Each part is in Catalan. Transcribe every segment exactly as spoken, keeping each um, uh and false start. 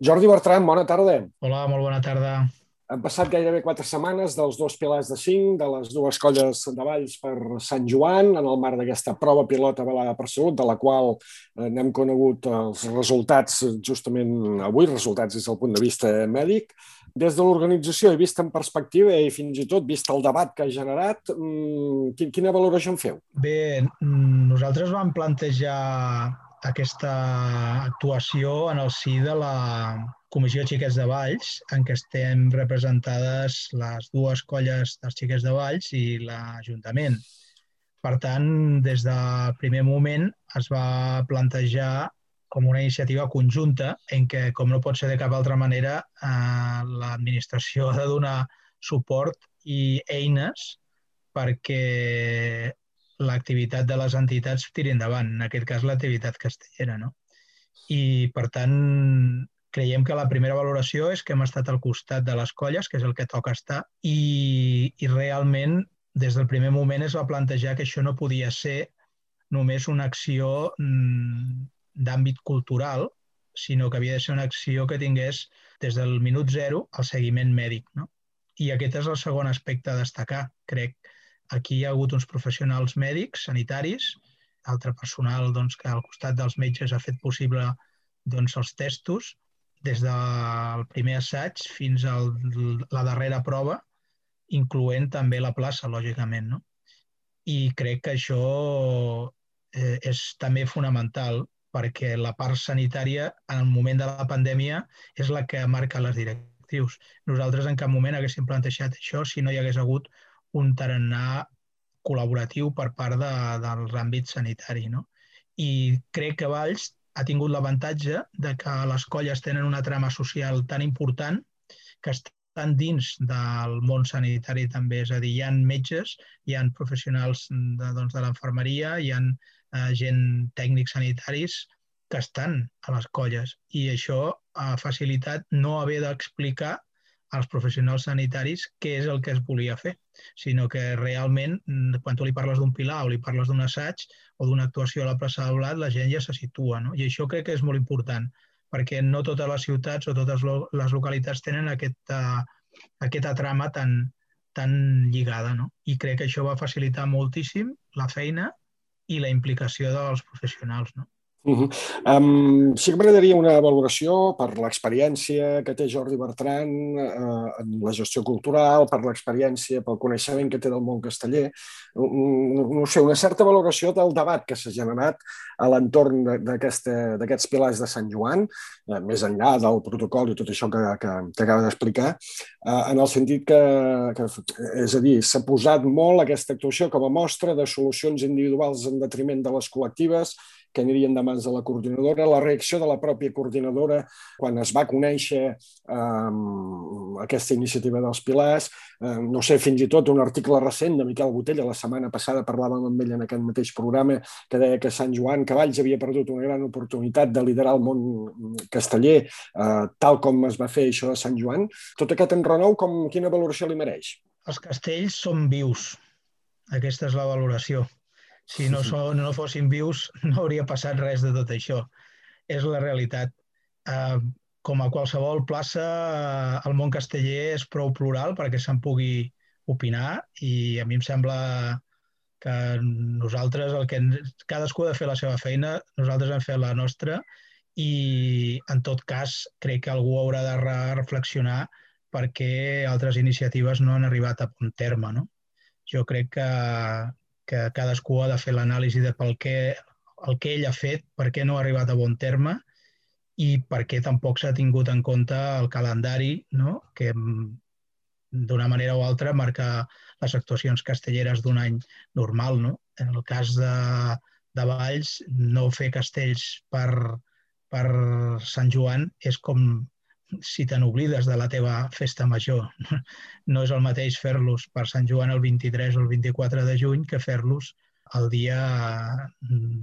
Jordi Bertran, bona tarda. Hola, molt bona tarda. Han passat gairebé quatre setmanes dels dos pilars de cinc, de les dues colles de Valls per Sant Joan, en el marc d'aquesta prova pilot avalada per Salut, de la qual eh, n'hem conegut els resultats justament avui, resultats des del punt de vista mèdic. Des de l'organització, i vist en perspectiva i fins i tot vist el debat que ha generat, mmm, quina valoració en feu? Bé, nosaltres vam plantejar aquesta actuació en el si de la Comissió de Xiquets de Valls, en què estem representades les dues colles dels Xiquets de Valls i l'Ajuntament. Per tant, des del primer moment es va plantejar com una iniciativa conjunta en què, com no pot ser de cap altra manera, eh, l'administració ha de donar suport i eines perquè l'activitat de les entitats tiri endavant, en aquest cas l'activitat castellera. No? I, per tant, creiem que la primera valoració és que hem estat al costat de les colles, que és el que toca estar, i, i realment des del primer moment es va plantejar que això no podia ser només una acció mm, d'àmbit cultural, sinó que havia de ser una acció que tingués des del minut zero el seguiment mèdic. No? I aquest és el segon aspecte a destacar, crec. Aquí hi ha hagut uns professionals mèdics, sanitaris, altre personal doncs, que al costat dels metges ha fet possible doncs, els testos, des del primer assaig fins a la darrera prova, incloent també la plaça, lògicament. No? I crec que això eh, és també fonamental perquè la part sanitària en el moment de la pandèmia és la que marca les directrius. Nosaltres en cap moment haguéssim plantejat això si no hi hagués hagut un tarannà col·laboratiu per part de, de l'àmbit sanitari. No? I crec que Valls ha tingut l'avantatge de que les colles tenen una trama social tan important que estan dins del món sanitari també, és a dir, hi ha metges, hi ha professionals de, doncs, de l'enfermeria, hi ha eh, gent tècnics sanitaris que estan a les colles i això ha facilitat no haver d'explicar als professionals sanitaris què és el que es volia fer, sinó que realment quan tu li parles d'un pilar o li parles d'un assaig o d'una actuació a la plaça del Blat, la gent ja se situa. No? I això crec que és molt important, perquè no totes les ciutats o totes les localitats tenen aquesta, aquesta trama tan, tan lligada. No? I crec que això va facilitar moltíssim la feina i la implicació dels professionals. No? Uh -huh. um, sí que m'agradaria una valoració per l'experiència que té Jordi Bertran uh, en la gestió cultural, per l'experiència, pel coneixement que té del món casteller, no, no sé, una certa valoració del debat que s'ha generat a l'entorn d'aquests pilars de Sant Joan, uh, més enllà del protocol i tot això que, que, que acaba d'explicar, uh, en el sentit que, que, és a dir, s'ha posat molt aquesta actuació com a mostra de solucions individuals en detriment de les col·lectives, que anirien de mans de la coordinadora, la reacció de la pròpia coordinadora quan es va conèixer eh, aquesta iniciativa dels pilars, eh, no sé, fins i tot un article recent de Miquel Botella, la setmana passada parlàvem amb ell en aquest mateix programa, que deia que Sant Joan Cavalls havia perdut una gran oportunitat de liderar el món casteller, eh, tal com es va fer això a Sant Joan. Tot aquest enrenou, com, quina valoració li mereix? Els castells són vius. Aquesta és la valoració. Si no, so, no fossin vius, no hauria passat res de tot això. És la realitat. Eh, com a qualsevol plaça, eh, el món casteller és prou plural perquè se'n pugui opinar i a mi em sembla que nosaltres, el que cadascú ha de fer la seva feina, nosaltres hem fet la nostra i en tot cas crec que algú haurà de reflexionar perquè altres iniciatives no han arribat a bon terme. No? Jo crec que que cadascú ha de fer l'anàlisi de pel què, el que ell ha fet, per què no ha arribat a bon terme i per què tampoc s'ha tingut en compte el calendari, no? Que d'una manera o altra marca les actuacions castelleres d'un any normal. No? En el cas de, de Valls, no fer castells per, per Sant Joan és com si te n'oblides de la teva festa major. No és el mateix fer-los per Sant Joan el vint-i-tres o el vint-i-quatre de juny que fer-los el dia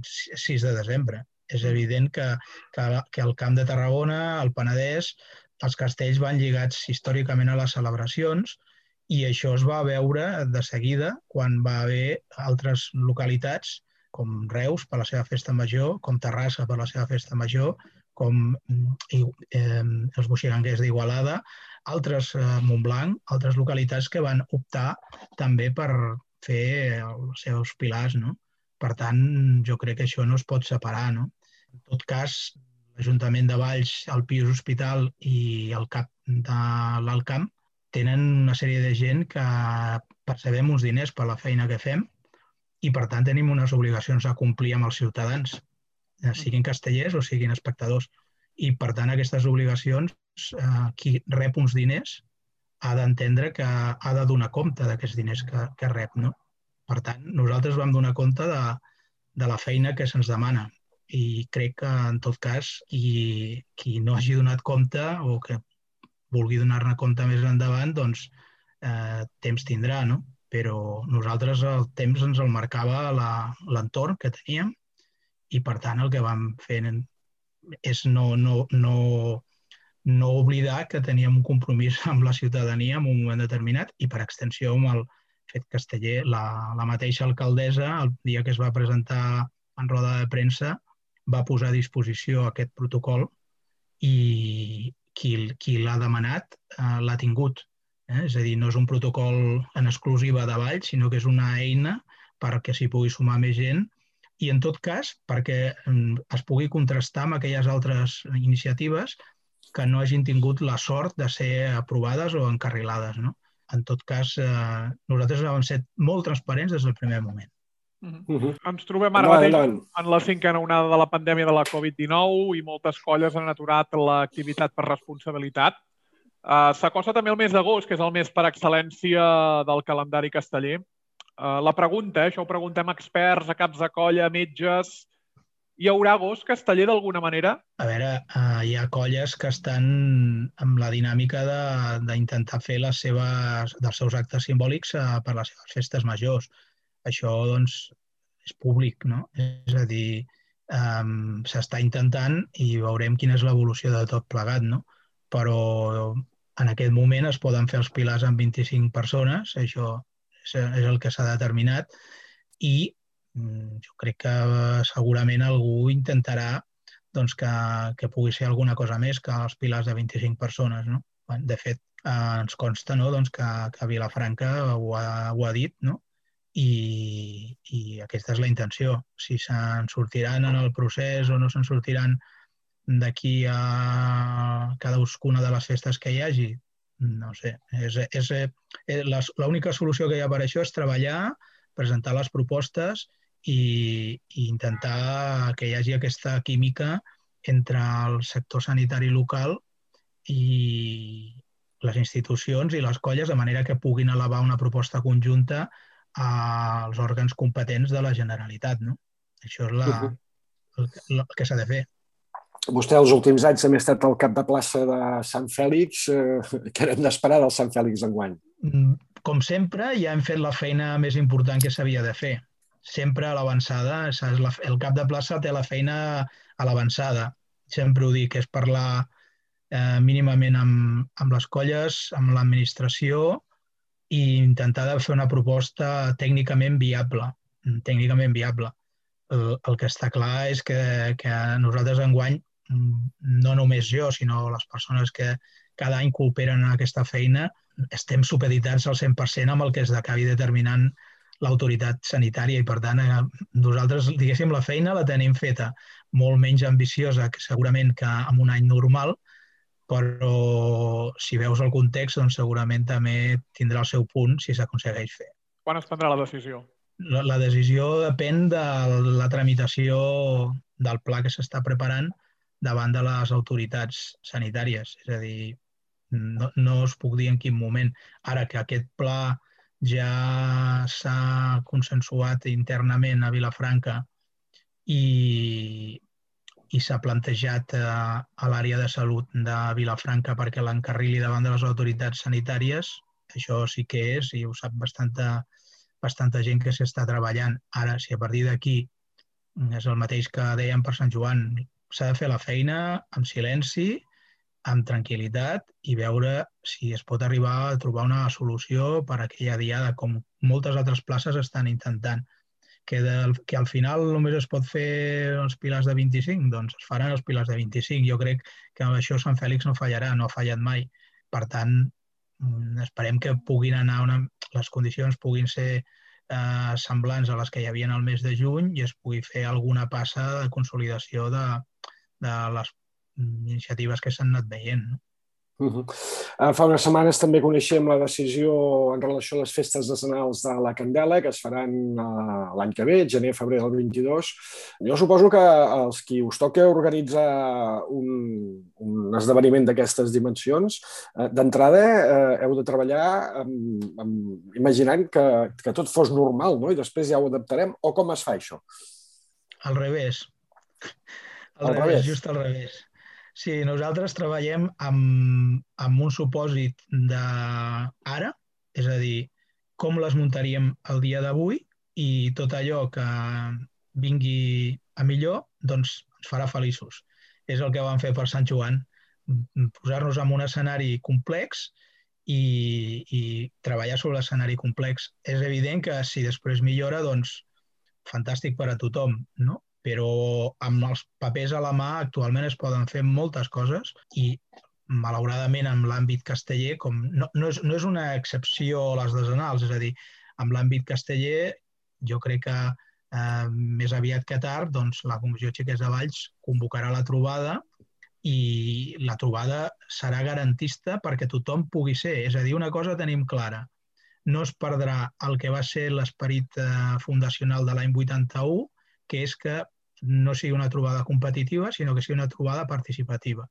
sis de desembre. És evident que, que, que al Camp de Tarragona, al Penedès, els castells van lligats històricament a les celebracions i això es va veure de seguida quan va haver altres localitats com Reus per la seva festa major, com Terrassa per la seva festa major, com eh, els boixiganguers d'Igualada, altres eh, Montblanc, altres localitats que van optar també per fer els seus pilars, no? Per tant, jo crec que això no es pot separar, no? En tot cas, l'Ajuntament de Valls, el Pius Hospital i el cap de l'Alt Camp tenen una sèrie de gent que percebem uns diners per la feina que fem i, per tant, tenim unes obligacions a complir amb els ciutadans, siguin castellers o siguin espectadors. I, per tant, aquestes obligacions, eh, qui rep uns diners ha d'entendre que ha de donar compte d'aquests diners que, que rep, no? Per tant, nosaltres vam donar compte de, de la feina que se'ns demana i crec que, en tot cas, qui, qui no hagi donat compte o que vulgui donar-ne compte més endavant, doncs eh, temps tindrà, no? Però nosaltres el temps ens el marcava l'entorn que teníem i, per tant, el que vam fer és no, no, no, no oblidar que teníem un compromís amb la ciutadania en un moment determinat i, per extensió, amb el fet casteller. La, la mateixa alcaldessa, el dia que es va presentar en roda de premsa, va posar a disposició aquest protocol i qui, qui l'ha demanat eh, l'ha tingut. Eh? És a dir, no és un protocol en exclusiva de Valls, sinó que és una eina perquè s'hi pugui sumar més gent i, en tot cas, perquè es pugui contrastar amb aquelles altres iniciatives que no hagin tingut la sort de ser aprovades o encarrilades, no? En tot cas, eh, nosaltres vam ser molt transparents des del primer moment. Uh-huh. Uh-huh. Ens trobem ara mateix en la cinquena onada de la pandèmia de la Covid dinou i moltes colles han aturat l'activitat per responsabilitat. Uh, S'acosta també el mes d'agost, que és el mes per excel·lència del calendari casteller. Uh, la pregunta, eh, això ho preguntem a experts, a caps de colla, a metges, hi haurà agost casteller d'alguna manera? A veure, uh, hi ha colles que estan amb la dinàmica d'intentar fer les seves, dels seus actes simbòlics uh, per les seves festes majors. Això, doncs, és públic, no? És a dir, um, s'està intentant i veurem quina és l'evolució de tot plegat, no? Però en aquest moment es poden fer els pilars amb vint-i-cinc persones, això és, és el que s'ha determinat, i um, jo crec que segurament algú intentarà doncs, que, que pugui ser alguna cosa més que els pilars de vint-i-cinc persones, no? De fet, eh, ens consta, no? doncs que, que Vilafranca ho ha, ho ha dit, no? I, i aquesta és la intenció. Si se'n sortiran en el procés o no se'n sortiran d'aquí a cadascuna de les festes que hi hagi, no sé. És, és, és, l'única solució que hi ha per això és treballar, presentar les propostes i, i intentar que hi hagi aquesta química entre el sector sanitari local i les institucions i les colles, de manera que puguin elevar una proposta conjunta als òrgans competents de la Generalitat, no? Això és la, el, el que s'ha de fer. Vostè els últims anys també ha estat al cap de plaça de Sant Fèlix. Eh, què hem d'esperar del Sant Fèlix d'enguany? Com sempre, ja hem fet la feina més important que s'havia de fer. Sempre a l'avançada. El cap de plaça té la feina a l'avançada. Sempre ho dic, és parlar eh, mínimament amb, amb les colles, amb l'administració, i intentar fer una proposta tècnicament viable. Tècnicament viable. El, el que està clar és que, que nosaltres enguany, no només jo, sinó les persones que cada any cooperen en aquesta feina, estem supeditats al cent per cent amb el que es acabi determinant l'autoritat sanitària i, per tant, nosaltres, diguéssim, la feina la tenim feta molt menys ambiciosa que segurament que en un any normal, però si veus el context, doncs segurament també tindrà el seu punt si s'aconsegueix fer. Quan es prendrà la decisió? La, la decisió depèn de la tramitació del pla que s'està preparant davant de les autoritats sanitàries. És a dir, no, no us puc dir en quin moment. Ara que aquest pla ja s'ha consensuat internament a Vilafranca i i s'ha plantejat eh, a l'àrea de salut de Vilafranca perquè l'encarrili davant de les autoritats sanitàries. Això sí que és, i ho sap bastanta, bastanta gent que s'està treballant. Ara, si a partir d'aquí és el mateix que dèiem per Sant Joan, s'ha de fer la feina amb silenci, amb tranquil·litat i veure si es pot arribar a trobar una solució per a aquella diada, com moltes altres places estan intentant. que, del, que al final només es pot fer els pilars de vint-i-cinc, doncs es faran els pilars de vint-i-cinc. Jo crec que amb això Sant Fèlix no fallarà, no ha fallat mai. Per tant, esperem que puguin anar una, les condicions puguin ser eh, semblants a les que hi havia al mes de juny i es pugui fer alguna passa de consolidació de, de les iniciatives que s'han anat veient. No? Uh-huh. uh, fa unes setmanes també coneixem la decisió en relació a les festes decenals de la Candela, que es faran uh, l'any que ve, gener, febrer del vint-i-dos. Jo suposo que els qui us toca organitzar un, un esdeveniment d'aquestes dimensions, uh, d'entrada uh, heu de treballar amb, amb, imaginant que, que tot fos normal, no? I després ja ho adaptarem, o com es fa això? Al revés. Al, al revés, revés, just al revés. Sí, nosaltres treballem amb, amb un supòsit d'ara, és a dir, com les muntaríem el dia d'avui i tot allò que vingui a millor, doncs ens farà feliços. És el que vam fer per Sant Joan, posar-nos en un escenari complex i, i treballar sobre l'escenari complex. És evident que si després millora, doncs fantàstic per a tothom, no? Però amb els papers a la mà actualment es poden fer moltes coses i malauradament en l'àmbit casteller, com no, no, és, no és una excepció a les decenals, és a dir, en l'àmbit casteller jo crec que eh, més aviat que tard doncs, la Comissió Xiquets de Valls convocarà la trobada i la trobada serà garantista perquè tothom pugui ser. És a dir, una cosa tenim clara, no es perdrà el que va ser l'esperit eh, fundacional de l'any vuitanta-u, que és que no sigui una trobada competitiva, sinó que sigui una trobada participativa.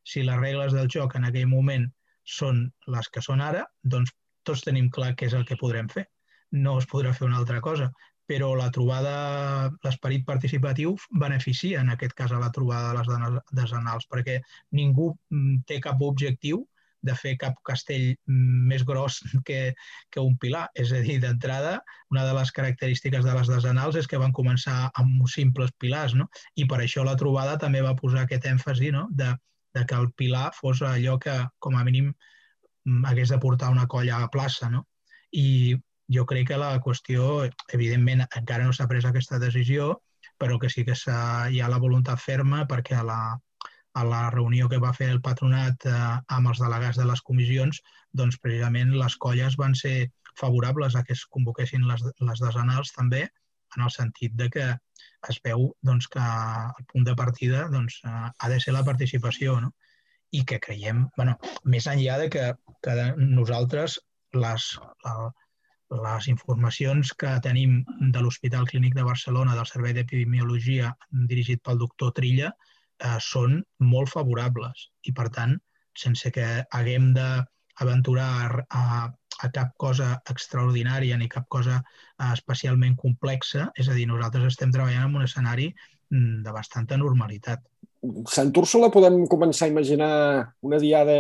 Si les regles del joc en aquell moment són les que són ara, doncs tots tenim clar què és el que podrem fer. No es podrà fer una altra cosa, però la trobada, l'esperit participatiu beneficia en aquest cas a la trobada de les decenals, perquè ningú té cap objectiu de fer cap castell més gros que, que un pilar. És a dir, d'entrada, una de les característiques de les decenals és que van començar amb simples pilars, no? I per això la trobada també va posar aquest èmfasi, no? de, de que el pilar fos allò que, com a mínim, hagués de portar una colla a la plaça. No? I jo crec que la qüestió, evidentment, encara no s'ha pres aquesta decisió, però que sí que hi ha la voluntat ferma perquè a la a la reunió que va fer el patronat eh, amb els delegats de les comissions, doncs precisament les colles van ser favorables a que es convoquessin les, les decenals també, en el sentit de que es veu doncs, que el punt de partida doncs, eh, ha de ser la participació, no? I que creiem, bueno, més enllà de que, que nosaltres les, les informacions que tenim de l'Hospital Clínic de Barcelona, del Servei d'Epidemiologia dirigit pel doctor Trilla, Eh, són molt favorables i, per tant, sense que haguem d'aventurar a, a cap cosa extraordinària ni cap cosa eh, especialment complexa, és a dir, nosaltres estem treballant en un escenari de bastanta normalitat. Sant Úrsula podem començar a imaginar una diada,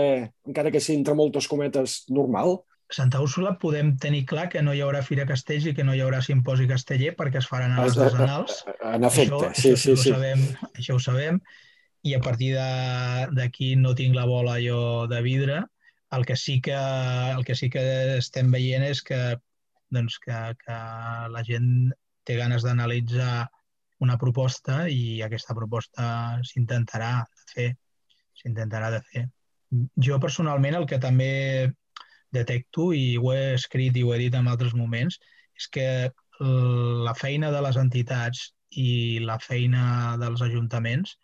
encara que sigui entre moltes cometes, normal? Santa Úrsula podem tenir clar que no hi haurà Fira Castells i que no hi haurà simposi casteller perquè es faran a les decenals. En efecte, això, sí, això sí, ho sí. Sabem, això ho sabem. I a partir d'aquí no tinc la bola jo de vidre. El que sí que, el que, sí que estem veient és que, doncs, que, que la gent té ganes d'analitzar una proposta i aquesta proposta s'intentarà de fer. S'intentarà de fer. Jo personalment el que també detecto, i ho he escrit i ho he dit en altres moments, és que la feina de les entitats i la feina dels ajuntaments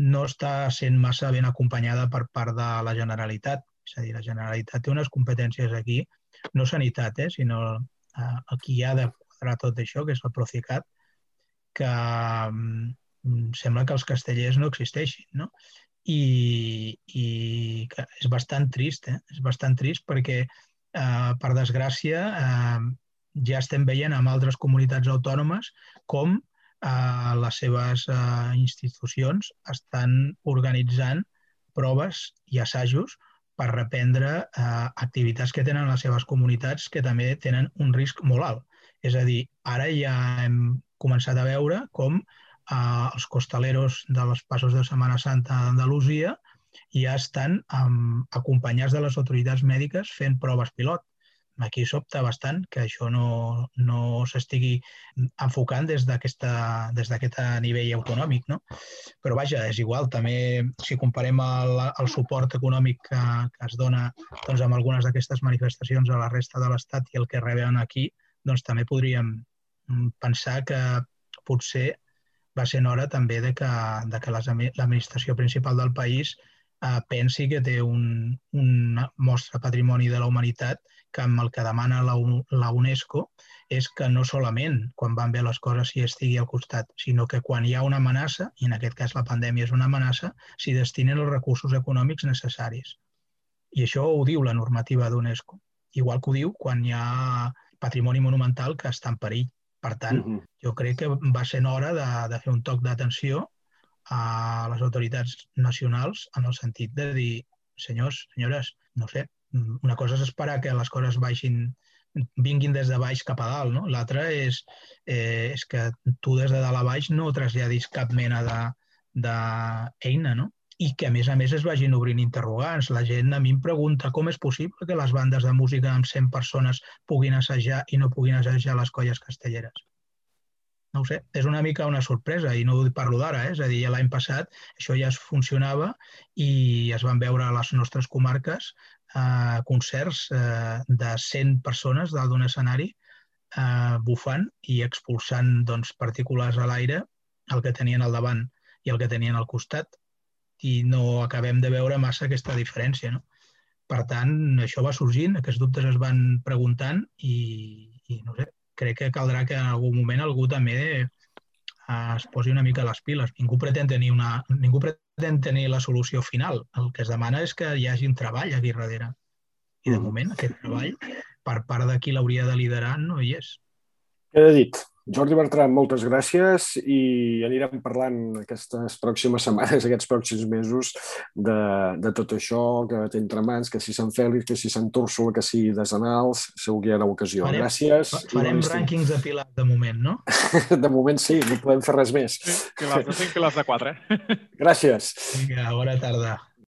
no està sent massa ben acompanyada per part de la Generalitat. És a dir, la Generalitat té unes competències aquí, no sanitat, eh, sinó eh, el qui ha de quadrar tot això, que és el Procicat, que mm, sembla que els castellers no existeixin, no? I, i que és bastant trist, eh? És bastant trist perquè, eh, per desgràcia, eh, ja estem veient en altres comunitats autònomes com Uh, les seves uh, institucions estan organitzant proves i assajos per reprendre uh, activitats que tenen les seves comunitats que també tenen un risc molt alt. És a dir, ara ja hem començat a veure com uh, els costaleros dels passos de Setmana Santa d'Andalusia ja estan um, acompanyats de les autoritats mèdiques fent proves pilot. aquí sobta bastant que això no, no s'estigui enfocant des d'aquest nivell autonòmic, no? Però vaja, és igual, també si comparem el, el suport econòmic que, que es dona doncs, amb algunes d'aquestes manifestacions a la resta de l'Estat i el que reben aquí, doncs també podríem pensar que potser va ser hora també de que, de que l'administració principal del país eh, pensi que té un, un mostre patrimoni de la humanitat que amb el que demana la, la UNESCO és que no solament quan van bé les coses s'hi estigui al costat, sinó que quan hi ha una amenaça, i en aquest cas la pandèmia és una amenaça, s'hi destinen els recursos econòmics necessaris. I això ho diu la normativa d'UNESCO. Igual que ho diu quan hi ha patrimoni monumental que està en perill. Per tant, uh-huh. jo crec que va ser hora de, de fer un toc d'atenció a les autoritats nacionals en el sentit de dir, senyors, senyores, no sé, una cosa és esperar que les coses baixin, vinguin des de baix cap a dalt, no? L'altra és, eh, és que tu des de dalt a baix no traslladis cap mena d'eina, no? I que a més a més es vagin obrint interrogants. La gent a mi em pregunta com és possible que les bandes de música amb cent persones puguin assajar i no puguin assajar les colles castelleres. No ho sé, és una mica una sorpresa i no ho parlo d'ara, eh? És a dir, l'any passat això ja es funcionava i es van veure a les nostres comarques eh, concerts eh, de cent persones dalt d'un escenari eh, bufant i expulsant doncs, partícules a l'aire, el que tenien al davant i el que tenien al costat, i no acabem de veure massa aquesta diferència, no? Per tant, això va sorgint, aquests dubtes es van preguntant i, i no sé, crec que caldrà que en algun moment algú també es posi una mica a les piles. Ningú pretén tenir, una, ningú pretén tenir la solució final. El que es demana és que hi hagi un treball aquí darrere. I de moment aquest treball, per part de qui l'hauria de liderar, no hi és. Queda dit. Jordi Bertran, moltes gràcies i anirem parlant aquestes pròximes setmanes, aquests pròxims mesos de, de tot això que té entre mans, que si Sant Fèlix, que si Sant Úrsula, que si Desenals, segur que hi ha ocasió. Farem, gràcies. Farem rànquings de pilars de moment, no? De moment sí, no podem fer res més. Sí, pilars de cinc, pilars de quatre. Gràcies. Vinga, bona tarda.